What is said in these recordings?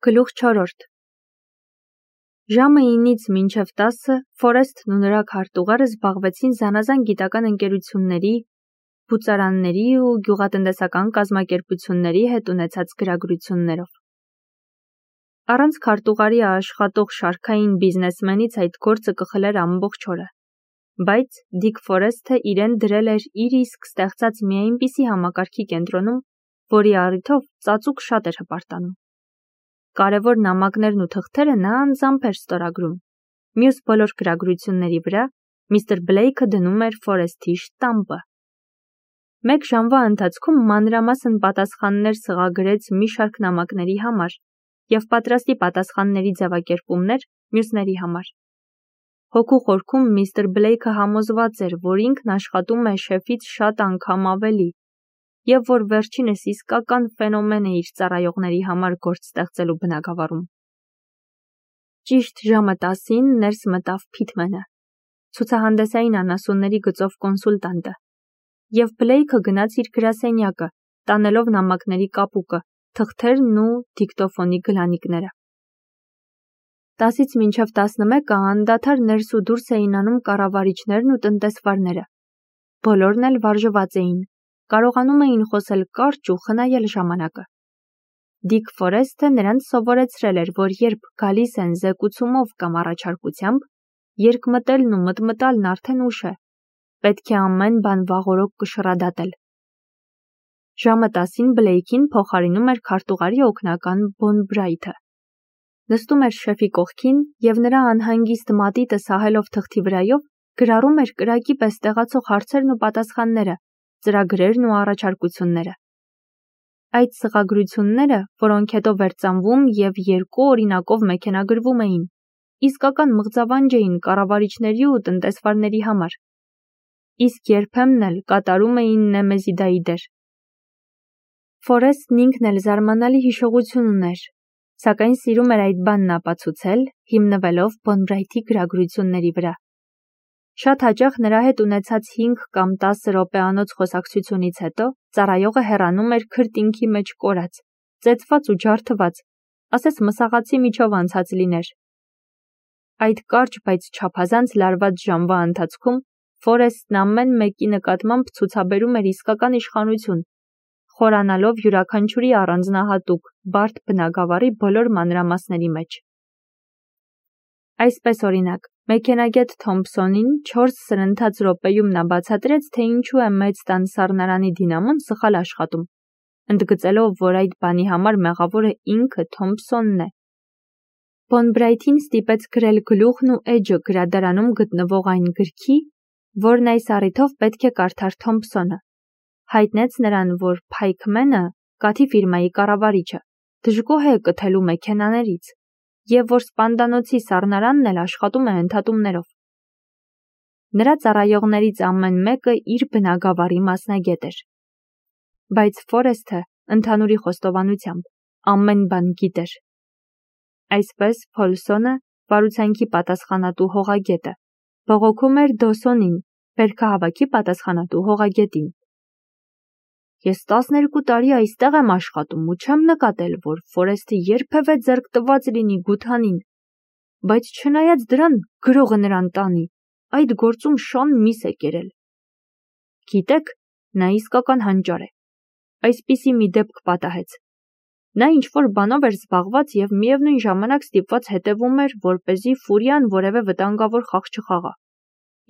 Գլուխ 4 Ժամը 9-ից մինչև 10-ը Ֆորեսթն ու նրա քարտուղարը զբաղվեցին զանազան գիտական ընկերությունների, բուծարանների ու գյուղատնտեսական կազմակերպությունների հետ ունեցած գրագրություններով։ Առանց քարտուղարի աշխատող շարքային բիզնեսմենից այդ գործը կխլեր ամբողջ օրը, բայց Դիկ Ֆորեսթը իրեն դրել էր իր իսկ ստեղծած մի այնպիսի համակարգի կենտրոնում, որի առիթով ծածուկ շատ էր հպարտանում։ Կարևոր նամակներն ու թղթերը նա անձամբ էր ստորագրում։ Մյուս բոլոր գրագրությունների վրա միստր Բլեյքը դնում էր Ֆորեսթի շտամպը։ Մեկ ժամվա ընթացքում մանրամասն պատասխաններ սղագրեց մի շարք նամակների համար և պատրաստի պատասխանների ձևակերպումներ մյուսների համար։ Հոգու խորքում միստր Բլեյքը համոզված էր, որ ինքն աշխատում է շեֆից շատ անգամ ավելի և որ վերջինս իսկական ֆենոմեն է իր ծառայողների համար գործ ստեղծելու բնագավառում։ Ճիշտ ժամը 10-ին ներս մտավ Փիթմենը, ցուցահանդեսային անասունների գծով կոնսուլտանտը, և Բլեյքը գնաց իր գրասենյակը, տանելով նամակների կապուկը, թղթերն ու դիկտոֆոնի գլանիկները։ 10-ից մինչև 11-ը անդադար ներս ու դուրս էին անում կառավարիչներն ու տնտեսվարները։ Բոլորն էլ վարժված էին, կարողանում էին խոսել կարճ ու խնայել ժամանակը։ Դիկ Ֆորեսթը նրանց սովորեցրել էր, որ երբ գալիս են զեկուցումով կամ առաջարկությամբ, երկմտելն ու մտմտալն արդեն ուշ է, պետք է ամեն բան վաղօրոք կշռադատել։ Ժամը 10-ին Բլեյքին փոխարինում էր քարտուղարի օգնական Բոն Բրայթը։ Նստում էր շեֆի կողքին և նրա անհանգիստ մատիտը սահելով թղթի վրայով գրառում էր կրակի պես տեղացող հարցերն ու պատասխանները, ծրագրերն ու առաջարկությունները։ Այդ սղագրությունները, որոնք հետո վերծանվում և 2 օրինակով մեքենագրվում էին, իսկական մղձավանջ էին կառավարիչների ու տնտեսվարների համար, իսկ երբեմն էլ կատարում էին Նեմեզիդայի դեր։ Ֆորեսթն ինքն էլ զարմանալի հիշողություն ուներ, սակայն սիրում էր այդ բանն ապացուցել, հիմնվելով Բոն Բրայթի գրագրությունների վրա։ Շատ հաճախ նրա հետ ունեցած 5 կամ 10 րոպեանոց խոսակցությունից հետո ծառայողը հեռանում էր քրտինքի մեջ կորած, ծեծված ու ջարդված, ասես մսաղացի միջով անցած լիներ։ Այդ կարճ, բայց չափազանց լարված ժամվա ընթացքում Ֆորեսթն ամեն մեկի նկատմամբ ցուցաբերում էր իսկական իշխանություն, խորանալով յուրաքանչյուրի առանձնահատուկ, բարդ բնագավառի բոլոր մանրամասների մեջ։ Այսպես օրինակ, մեքենագետ Թոմփսոնին 4 սրընթաց րոպեում նա բացատրեց, թե ինչու է մեծ տան սառնարանի դինամոն սխալ աշխատում, ընդգծելով, որ այդ բանի համար մեղավորը ինքը Թոմփսոնն է։ Բոն Բրայթին ստիպեց գրել գլուխն ու էջը գրադարանում գտնվող այն գրքի, որն այս առիթով պետք է կարդար Թոմփսոնը, հայտնեց նրան, որ Փայքմենը, կաթի ֆիրմայի կառավարիչը, դժգոհ է կթելու մեքենաներից և որ սպանդանոցի սառնարանն էլ աշխատում է ընդհատումներով։ Նրա ծառայողներից ամեն մեկը իր բնագավառի մասնագետ էր։ Բայց Ֆորեսթը, ընդհանուրի խոստովանությամբ, ամեն բան գիտեր։ Այսպես Փոլսոնը, վարուցանքի պատասխանատու հողագետը, բողոքում էր Դոսոնին, բերքահավաքի պատասխանատու հողագետին։ Ես 12 տարի այստեղ եմ աշխատում ու չեմ նկատել, որ Ֆորեսթը երբևէ ձեռք տված լինի Գութանին, բայց չնայած դրան գրողը նրան տանի, այդ գործում շան միս է կերել։ Գիտեք, նա իսկական հանճար է։ Այսպիսի մի դեպք պատահեց։ Նա ինչ-որ բանով էր զբաղված և միևնույն ժամանակ ստիպված հետևում էր, որպեսզի Ֆուրիան որևէ վտանգավոր խաղ չխաղա։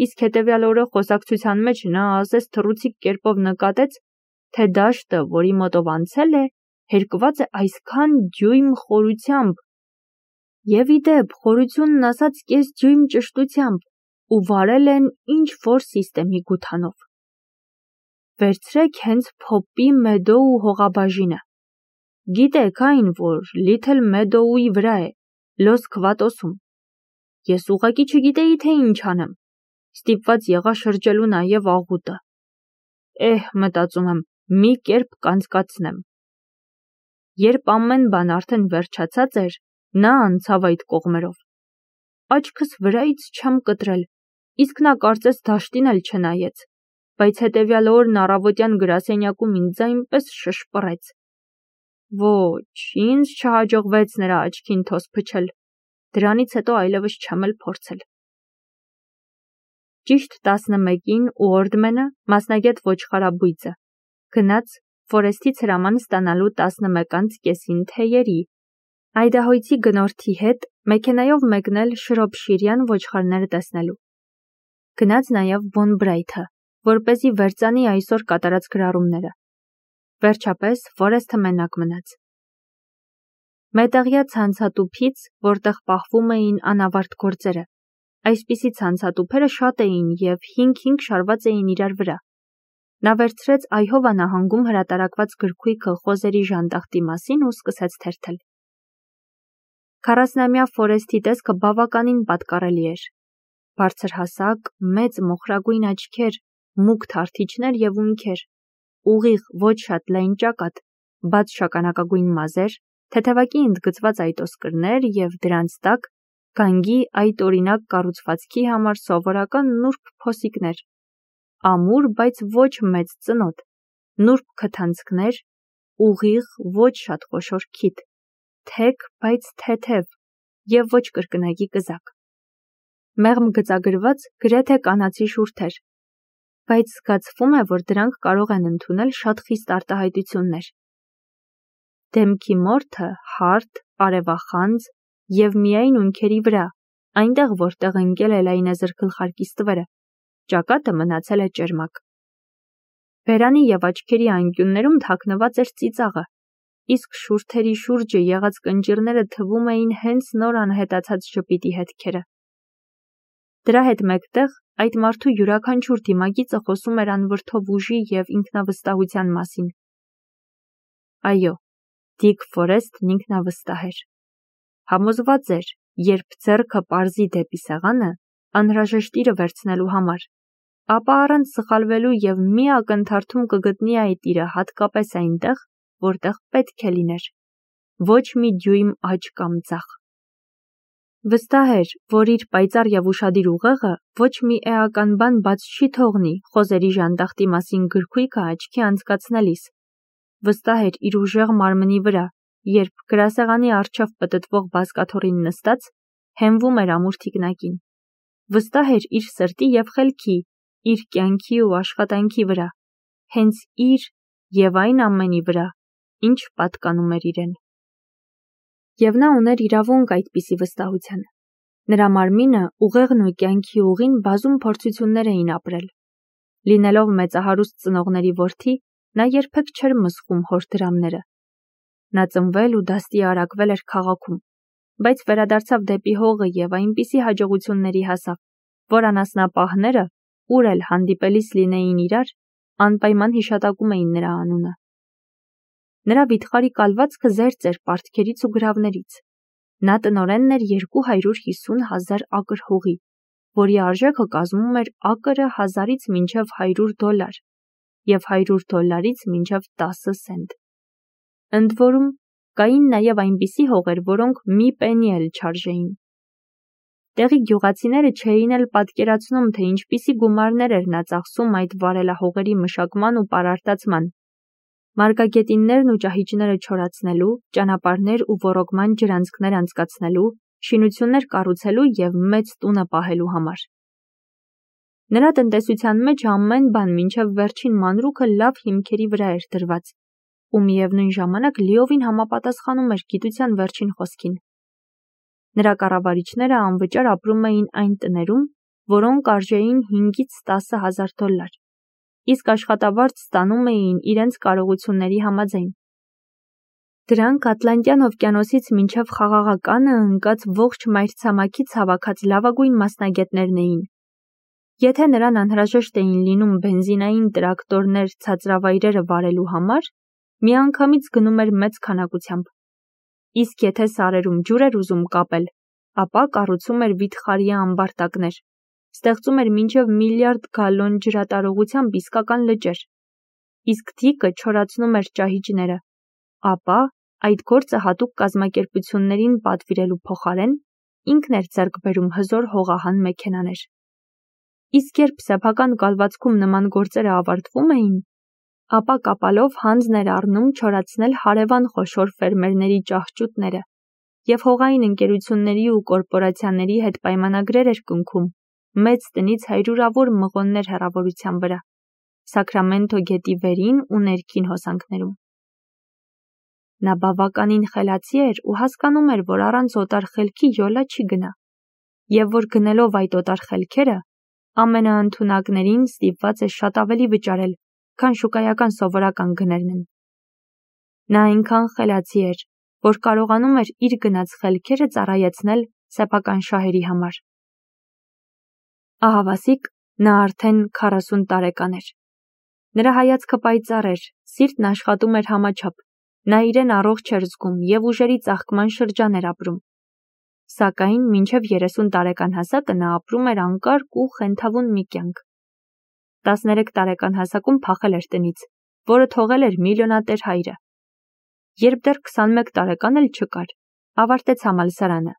Իսկ հետևյալ օրը խոսակցության մեջ նա ասես թռուցիկ կերպով նկատեց, թե դաշտը, որի մոտով անցել է, հերկված է այսքան դյույմ խորությամբ և ի դեպ խորությունն ասած կես դյույմ ճշտությամբ ու վարել են ինչ-որ սիստեմի Գութանով։ Վերցրեք հենց Փոպի Մեդոու հողաբաժինը։ Գիտեք այն, որ Լիթլ Մեդոուի վրա է, Լոս Քվատոսում։ Ես ուղղակի չգիտեի, թե ինչ անեմ, ստիպված եղա շրջելու նաև աղուտը։ Մտածում եմ, մի կերպ կանցկացնեմ։ Երբ ամեն բան արդեն վերջացած էր, նա անցավ այդ կողմերով։ Աչքս վրայից չեմ կտրել, իսկ նա կարծես դաշտին էլ չնայեց, բայց հետևյալ օրն առավոտյան գրասենյակում ինձ այնպես շշպռեց։ Ոչ, ինձ չհաջողվեց նրա աչքին թոս փչել, դրանից հետո այլևս չեմ էլ փորձել։ Ճիշտ 11-ին Ուորդմենը, մասնագետ ոչխարաբույծը, գնաց Ֆորեսթից հրաման ստանալու 11:30 թեյերի, այդահոյցի գնորդի հետ մեքենայով մեկնել շրոփշիրյան ոչխարները տեսնելու։ Գնաց նաև Բոն Բրայթը, որպեսզի վերծանի այսօր կատարած գրառումները։ Վերջապես Ֆորեսթը մենակ մնաց։ Մետաղյա ցանցատուփից, որտեղ պահվում էին անավարտ գործերը, այսպիսի ցանցատուփերը շատ էին և 5-5 շարված էին իրար վրա։ Նա վերցրեց Այհովա նահանգում հրատարակված գրքույկը խոզերի ժանդախտի մասին ու սկսեց թերթել։ 40-ամյա Ֆորեսթի տեսքը բավականին պատկառելի էր։ Բարձրհասակ, մեծ մոխրագույն աչքեր, մուգ թարթիչներ և ունքեր, ուղիղ, ոչ շատ լայն ճակատ, բաց շագանակագույն մազեր, թեթևակի ընդգծված այտոսկրներ և դրանց տակ գանգի այտօրինակ կառուցվածքի համար սովորական նուրբ փոսիկներ, ամուր, բայց ոչ մեծ ծնոտ, նուրբ քթանցքներ, ուղիղ, ոչ շատ խոշոր քիթ, թեք, բայց թեթև և ոչ կրկնակի կզակ։ Մեղմ գծագրված գրեթե կանացի շուրթեր, բայց զգացվում է, որ դրանք կարող են ընդունել շատ խիստ արտահայտություններ։ Դեմքի մորթը հարթ, արևախանձ և միայն ունքերի վրա, այնտեղ, որտեղ ընկել է լայնազր գլխարկի ստվերը, ճակատը մնացել է ճերմակ։ Բերանի և աչքերի անկյուններում թաքնված էր ծիծաղը, իսկ շուրթերի շուրջը եղած կնճիռները թվում էին հենց նոր անհետացած ժպիտի հետքերը։ Դրա հետ մեկտեղ այդ մարդու յուրաքանչյուր դիմագիծը խոսում էր անվրդով ուժի և ինքնավստահության մասին։ Այո, Դիկ Ֆորեսթն ինքնավստահ էր։ Համոզված էր, երբ ձեռքը պարզի դեպի սեղանը, անհրաժեշտ իրը վերցնելու համար, ապա առանց սխալվելու և մի ակնթարթում կգտնի այդ իրը հատկապես այնտեղ, որտեղ պետք է լիներ, ոչ մի դյույմ աջ կամ ձախ։ Վստահ էր, որ իր պայծառ և ուշադիր ուղեղը ոչ մի էական բան բաց չի թողնի խոզերի ժանդախտի մասին գրքույկը աչքի անցկացնելիս։ Վստահ էր իր ուժեղ մարմնի վրա, երբ գրասեղանի առջև պտտվող բազկաթոռին նստած, հենվում էր ամուր թիկնակին։ Վստահ էր իր սրտի և խելքի, իր կյանքի ու աշխատանքի վրա, հենց իր և այն ամենի վրա, ինչ պատկանում էր իրեն։ Եվ նա ուներ իրավունք այդպիսի վստահության։ Նրա մարմինը, ուղեղն ու կյանքի ուղին բազում փորձություններ էին ապրել։ Լինելով մեծահարուստ ծնողների որդի, նա երբեք չէր մսխում հոր դրամները։ Նա ծնվել ու դաստի արակվել էր քաղաքում, բայց վերադարձավ դեպի հողը և այնպիսի հաջողությունների հասավ, որ անասնապահները, ուր էլ հանդիպելիս լինեին իրար, անպայման հիշատակում էին նրա անունը։ Նրա վիթխարի կալվածքը զերծ էր պարտքերից ու գրավներից։ Նա տնօրենն էր 250,000 ակր հողի, որի արժեքը կազմում էր ակրը 1000-ից մինչև $100 և $100-ից մինչև 10 սենտ։ Ընդ որում, կային նաև այնպիսի հողեր, որոնք մի պենի էլ չարժեին։ Տեղի գյուղացիները չէին էլ պատկերացնում, թե ինչպիսի գումարներ էր նա ծախսում այդ վարելահողերի մշակման ու պարարտացման, մարգագետիններն ու ճահիճները չորացնելու, ճանապարհներ ու ոռոգման ջրանցքներ անցկացնելու, շինություններ կառուցելու և մեծ տունը պահելու համար։ Նրա տնտեսության մեջ ամեն բան մինչև վերջին մանրուքը լավ հիմքերի վրա էր դրված, ու միևնույն ժամանակ լիովին համապատասխանում էր գիտության վերջին խոսքին։ Նրա կառավարիչները անվճար ապրում էին այն տներում, որոնք արժեին 5-ից 10,000 դոլար, իսկ աշխատավարձ ստանում էին իրենց կարողությունների համաձայն։ Դրանք Ատլանտյան օվկիանոսից մինչև Խաղաղականը ընկած ողջ մայրցամաքից հավաքած լավագույն մասնագետներն էին։ Եթե նրան անհրաժեշտ էին լինում բենզինային տրակտորներ ցածրավայրերը վարելու համար, միանգամից գնում էր մեծ քանակությամբ։ Իսկ եթե սարերում ջուր էր ուզում կապել, ապա կառուցում էր վիթխարի ամբարտակներ, ստեղծում էր մինչև միլիարդ գալոն ջրատարողությամբ իսկական լճեր, իսկ Դիկը չորացնում էր ճահիճները, ապա այդ գործը հատուկ կազմակերպություններին պատվիրելու փոխարեն ինքն էր ձեռք բերում հզոր հողահան մեքենաներ։ Իսկ երբ սեփական կալվածքում նման գործերը ավարտվում էին, ապա կապալով հանձն էր առնում չորացնել հարևան խոշոր ֆերմերների ճահճուտները և հողային ընկերությունների ու կորպորացիաների հետ պայմանագրեր էր կնքում մեծ տնից հարյուրավոր մղոններ հեռավորության վրա, Սաքրամենթո գետի վերին ու ներքին հոսանքներում։ Նա բավականին խելացի էր ու հասկանում էր, որ առանց օտար խելքի յոլա չի գնա, և որ գնելով այդ օտար խելքերը, ամենաընդունակներին ստիպված է շատ ավելի վճարել, քան շուկայական սովորական գներն են։ Նա այնքան խելացի էր, որ կարողանում էր իր գնած խելքերը ծառայեցնել սեփական շահերի համար։ Ահավասիկ նա արդեն 40 տարեկան էր։ Նրա հայացքը պայծառ էր, սիրտն աշխատում էր համաչափ, նա իրեն առողջ էր զգում և ուժերի ծաղկման շրջան էր ապրում։ Սակայն մինչև 30 տարեկան հասակը նա ապրում էր անկարգ ու խենթավուն մի կյանք։ 13 տարեկան հասակում փախել էր տնից, որը թողել էր միլիոնատեր հայրը։ Երբ դեռ 21 տարեկան էլ չկար, ավարտեց համալսարանը,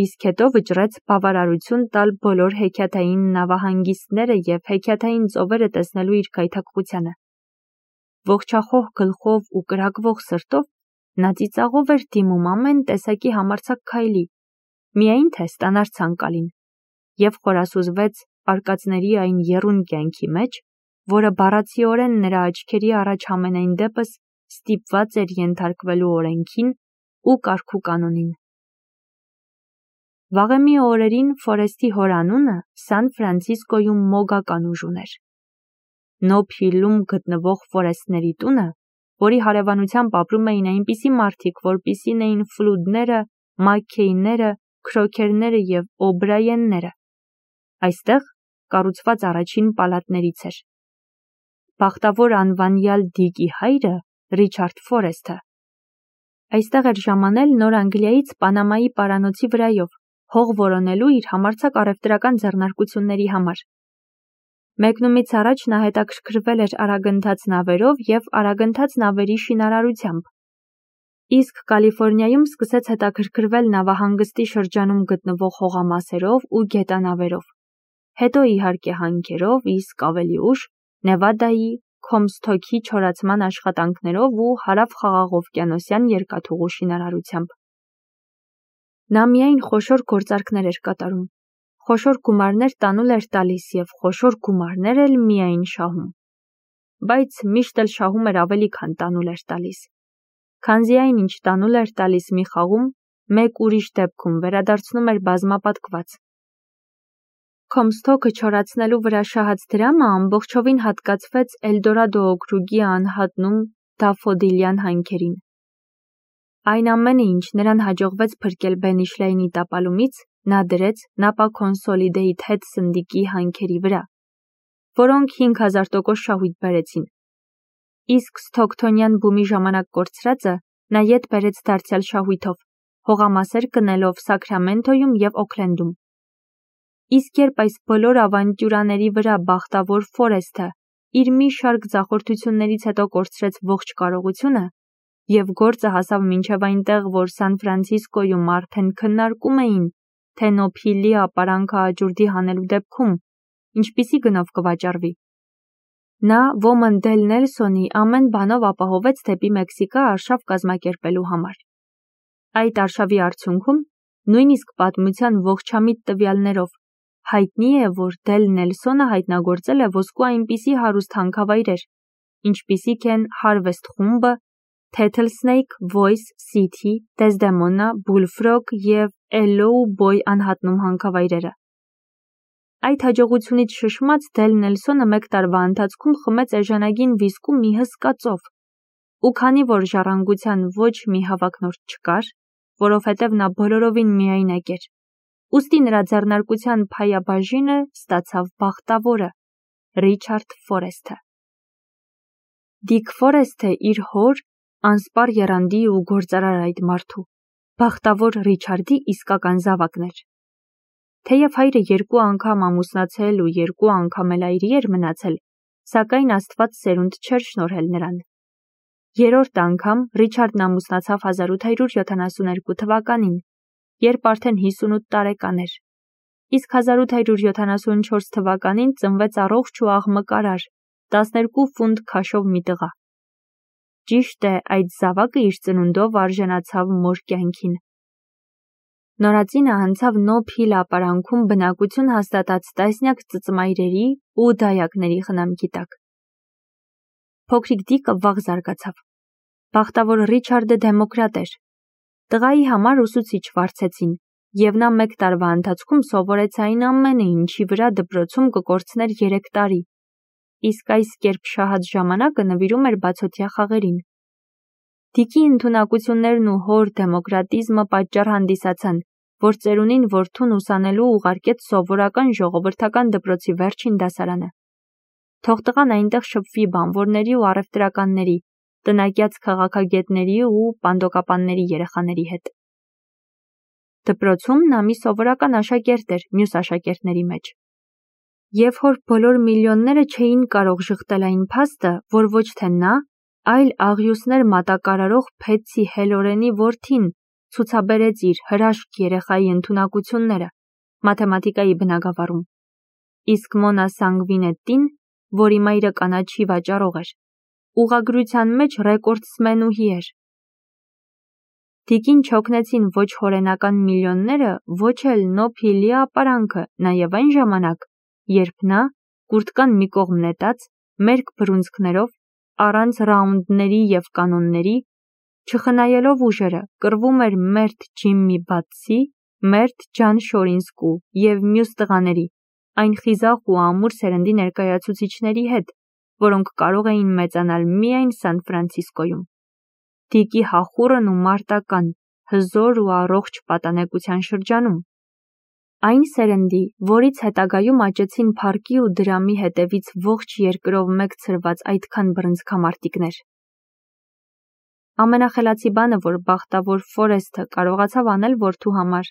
իսկ հետո վճռեց բավարարություն տալ բոլոր հեքիաթային նավահանգիստները և հեքիաթային ծովերը տեսնելու իր գայթակղությանը։ Ողջախոհ գլխով ու կրակվող սրտով նա ծիծաղով էր դիմում ամեն տեսակի համարձակ քայլի, միայն թե ստանար ցանկալին, և խորասուզվեց արկածների այն եռուն կյանքի մեջ, որը բառացիորեն նրա աչքերի առաջ համենայն դեպս ստիպված էր ենթարկվելու օրենքին ու կարգու կանոնին։ Վաղեմի օրերին Ֆորեսթի հոր անունը Սան Ֆրանցիսկոյում մոգական ուժ ուներ։ Նոբ Հիլում գտնվող Ֆորեսթների տունը, որի հարևանությամբ ապրում էին այնպիսի մարդիկ, որպիսին էին Ֆլուդները, Մաքքեյները, Քրոքերները և Օբրաենները, այստեղ կառուցված առաջին պալատներից էր։ Բախտավոր անվանյալ Դիկի հայրը Ռիչարդ Ֆորեսթը այստեղ էր ժամանել Նոր Անգլիայից Պանամայի պարանոցի վրայով, հող որոնելու իր համարձակ առևտրական ձեռնարկությունների համար։ Մեկնումից առաջ նա հետաքրքրվել էր արագընթաց նավերով և արագընթաց նավերի շինարարությամբ, իսկ Կալիֆոռնիայում սկսեց հետաքրքրվել նավահանգստի շրջանում գտնվող հողամասերով ու գետանավերով, հետո իհարկե հանքերով, իսկ ավելի ուշ Նևադայի, Քոմսթոքի չորացման աշխատանքներով ու հարավխաղաղօվկիանոսյան երկաթուղու շինարարությամբ։ Նա միայն խոշոր գործարքներ էր կատարում, խոշոր գումարներ տանուլ էր տալիս և խոշոր գումարներ էլ միայն շահում, բայց միշտ էլ շահում էր ավելի, քան տանուլ էր տալիս, քանզի այն, ինչ տանուլ էր տալիս մի խաղում, մեկ ուրիշ դեպքում վերադարձնում էր բազմապատկված։ Քոմսթոքը չորացնելու վրա շահած դրամը ամբողջովին հատկացվեց Էլդորադո օքրուգի անհատնում դաֆոդիլյան հանքերին։ Այն ամենը, ինչ նրան հաջողվեց փրկել Բենիշլեյնի տապալումից, նա դրեց Նապա Կոնսոլիդեյթ հետ սնդիկի հանքերի վրա, որոնք 5000% շահույթ բերեցին։ Իսկ Սթոքթոնյան բումի ժամանակ կորցրածը նա ետ բերեց դարձյալ շահույթով, հողամասեր կնելով Սաքրամենթոյում և Օքլենդում։ Իսկ երբ այս բոլոր ավանտյուրաների վրա բախտավոր Ֆորեսթը իր մի շարք ձախորդություններից հետո կորցրեց ողջ կարողությունը, և գործը հասավ մինչև այնտեղ, որ Սան Ֆրանցիսկոյում արդեն քննարկում էին, թե Նոբ Հիլի ապարանքը աճուրդի հանելու դեպքում ինչպիսի գնով կվաճառվի, նա ոմն Դել Նելսոնի ամեն բանով ապահովեց դեպի Մեքսիկա արշավ կազմակերպելու համար։ Այդ արշավի արդյունքում, նույնիսկ պատմության ողջամիտ տվյալներով, հայտնի է, որ Դել Նելսոնը հայտնագործել է ոսկու այնպիսի հարուստ հանքավայրեր, ինչպիսիք են Հարվեսթ խումբը, Թեթլսնեյք, Վոյս, Սիթի, Դեզդեմոնա, Բուլֆրոգ և Էլլոու Բոյ անհատնում հանքավայրերը։ Այդ հաջողությունից շշմած Դել Նելսոնը մեկ տարվա ընթացքում խմեց էժանագին վիսկու մի հսկա ծով, ու քանի որ ժառանգության ոչ մի հավակնորդ չկար, որովհետև նա բոլորովին միայնակ էր, ուստի նրա ձեռնարկության փայաբաժինը ստացավ բախտավորը՝ Ռիչարդ Ֆորեսթը։ Դիկ Ֆորեսթը իր հոր, անսպառ եռանդի ու գործարար այդ մարդու, բախտավոր Ռիչարդի իսկական զավակն էր։ Թեև հայրը 2 անգամ ամուսնացել ու 2 անգամ էլ այրի էր մնացել, սակայն Աստված սերունդ չէր շնորհել նրան։ Երրորդ անգամ Ռիչարդն ամուսնացավ 1872 թվականին, երբ արդեն 58 տարեկան էր, իսկ 1874 թվականին ծնվեց առողջ ու աղմկարար 12 ֆունտ քաշով մի տղա։ Ճիշտ է, այդ զավակը իր ծնունդով արժանացավ մոր կյանքին։ Նորածինը անցավ Նոբ Հիլ ապարանքում բնակություն հաստատած տասնյակ ծծմայրերի ու դայակների խնամքի տակ։ Փոքրիկ Դիկը վաղ զարգացավ։ Բախտավոր Ռիչարդը դեմոկրատ էր։ Տղայի համար ուսուցիչ վարձեցին, եւ նա 1 տարվա ընթացքում սովորեց այն ամենը, ինչի վրա դպրոցում կկորցներ 3 տարի, իսկ այս կերպ շահած ժամանակը նվիրում էր բացօթյա խաղերին։ Դիկի ընդունակություններն ու հոր դեմոկրատիզմը պատճառ հանդիսացան, որ ծերունին որդուն ուսանելու ուղարկեց սովորական ժողովրդական դպրոցի վերջին դասարանը։ Թող տղան այնտեղ շփվի բանվորների ու առևտրականների, տնայկյաց քաղաքագետների ու պանդոկապանների երեխաների հետ։ Դպրոցում նա մի սովորական աշակերտ էր մյուս աշակերտների մեջ։ Եվ հոր բոլոր միլիոնները չէին կարող ժխտել այն փաստը, որ ոչ թե նա, այլ աղյուսներ մատակարարող Փեցի Հելորենի որդին ցուցաբերեց իր հրաշք երեխայի ընդունակությունները մաթեմատիկայի բնագավառում, իսկ Մոնա Սանգվինետտին, որի մայրը կանաչի վաճառող էր, ուղղագրության մեջ ռեկորդսմենուհի էր։ Դիկին չօգնեցին ոչ հորենական միլիոնները, ոչ էլ Նոբ Հիլի ապարանքը, նաև այն ժամանակ, երբ նա, կուրտկան մի կողմ նետած, մերկ բռունցքներով, առանց ռաունդների և կանոնների, չխնայելով ուժերը, կռվում էր մերթ Ջիմմի Բատսի, մերթ Ջան Շորինսկու և մյուս տղաների, այն խիզախ ու ամուր սերնդի ներկայացուցիչների հետ, որոնք կարող էին մեծանալ միայն Սան Ֆրանցիսկոյում։ Դիկի հախուռն ու մարտական, հզոր ու առողջ պատանեկության շրջանում։ Այն սերնդի, որից հետագայում աճեցին փառքի ու դրամի հետևից ողջ երկրով մեկ ցրված այդքան բռնցքամարտիկներ։ Ամենախելացի բանը, որ բախտավոր Ֆորեսթը կարողացավ անել որդու համար,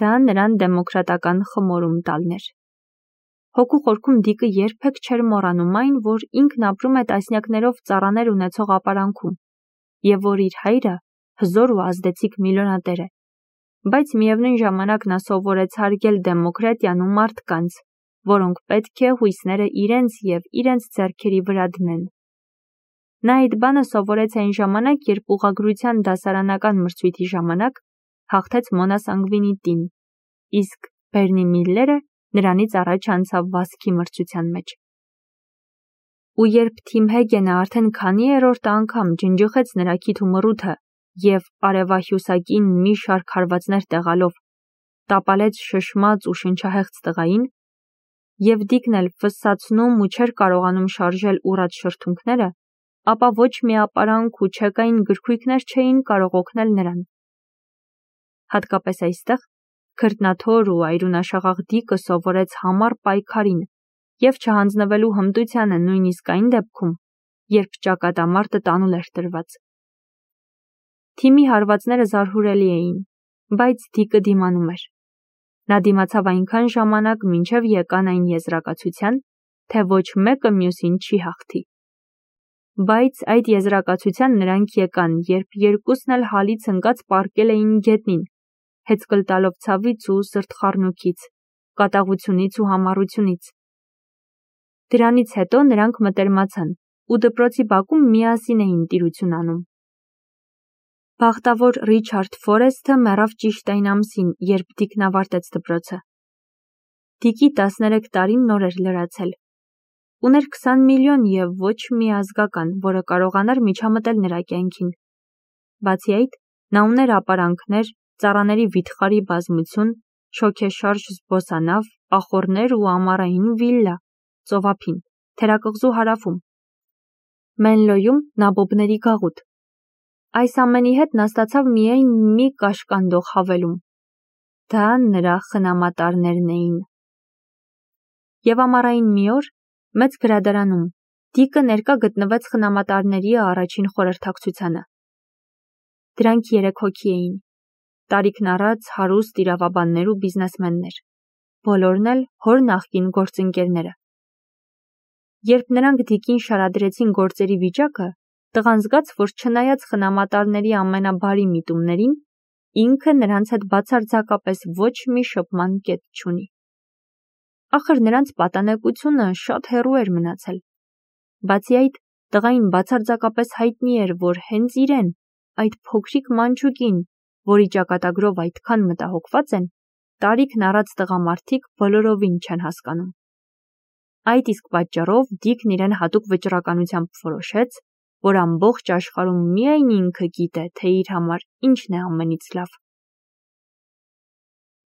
դա նրան դեմոկրատական խմորում տալն էր։ Հոգու խորքում Դիկը երբեք չէր մոռանում այն, որ ինքն ապրում է տասնյակներով ծառաներ ունեցող ապարանքում, եւ որ իր հայրը հզոր ու ազդեցիկ միլիոնատեր է, բայց միևնույն ժամանակ նա սովորեց հարգել դեմոկրատիան ու մարդկանց, որոնք պետք է հույսները իրենց եւ իրենց ձեռքերի վրա դնեն։ Նա այդ բանը սովորեց այն ժամանակ, երբ ուղղագրության դասարանական մրցույթի ժամանակ հաղթեց Մոնա Սանգվինիտին, իսկ Բերնի Միլլերը նրանից առաջ անցավ վազքի մրցության մեջ։ Ու երբ Թիմ Հեգենը արդեն քանի-երորդ անգամ ջնջխեց նրա քիթ ու մռութը և արևահյուսակին մի շարք հարվածներ տեղալով, տապալեց շշմած ու շնչահեղձ տղային, և Դիկն էլ ֆսսացնում ու չէր կարողանում շարժել ուռած շրթունքները, ապա ոչ մի ապարանք ու չեկային գրքույկներ չէին կարող օգնել նրան։ Հատկապես այստեղ քրտնաթոր ու այրունաշաղախ Դիկը սովորեց համառ պայքարին և չհանձնվելու հմտությանը նույնիսկ այն դեպքում, երբ ճակատամարտը տանուլ էր տրված։ Թիմի հարվածները զարհուրելի էին, բայց Դիկը դիմանում էր։ Նա դիմացավ այնքան ժամանակ, մինչև եկան այն եզրակացության, թե ոչ մեկը մյուսին չի հաղթի։ Բայց այդ եզրակացության նրանք եկան, երբ երկուսն էլ հալից ընկած պառկել էին գետնին, հեծկլ տալով ցավից ու սրտխառնոքից, կատաղությունից ու համառությունից։ Դրանից հետո նրանք մտերմացան ու դպրոցի բակում միասին էին տիրություն անում։ Բախտավոր Ռիչարդ Ֆորեսթը մեռավ ճիշտ այն ամսին, երբ Դիկն ավարտեց դպրոցը։ Դիկի 13 տարին նոր էր լրացել։ Ուներ 20 միլիոն և ոչ մի ազգական, որը կարողանար միջամտել նրա կյանքին։ Բացի այդ, նա ուներ ապարանքներ, ծառաների վիթխարի բազմություն, շոգեշարժ զբոսանավ, ախոռներ ու ամառային վիլլա, ծովափին, թերակղզու հարավում, Մենլոյում նաբոբների գաղութ։ Այս ամենի հետ նա ստացավ միայն մի կաշկանդող հավելում։ Դա նրա խնամատարներն էին։ Եվ ամառային մի օր, մեծ գրադարանում, Դիկը ներկա գտնվեց խնամատարների առաջին խորհրդակցությանը։ Դրանք 3 հոգի էին, տարիքն առած հարուստ իրավաբաններ ու բիզնեսմեններ, բոլորն էլ հոր նախկին գործընկերները։ Երբ նրանք Դիկին շարադրեցին գործերի վիճակը, տղան զգաց, որ չնայած խնամատարների ամենաբարի միտումներին, ինքը նրանց հետ բացարձակապես ոչ մի շփման կետ չունի։ Ախր նրանց պատանեկությունը շատ հեռու էր մնացել։ Բացի այդ, տղային բացարձակապես հայտնի էր, որ հենց իրեն, այդ փոքրիկ մանչուկին, որի ճակատագրով այդքան մտահոգված են, տարիքն առած տղամարդիկ բոլորովին չեն հասկանում։ Այդ իսկ պատճառով Դիկն իրեն հատուկ վճռականությամբ որոշեց, որ ամբողջ աշխարհում միայն ինքը գիտե, թե իր համար ինչն է ամենից լավ։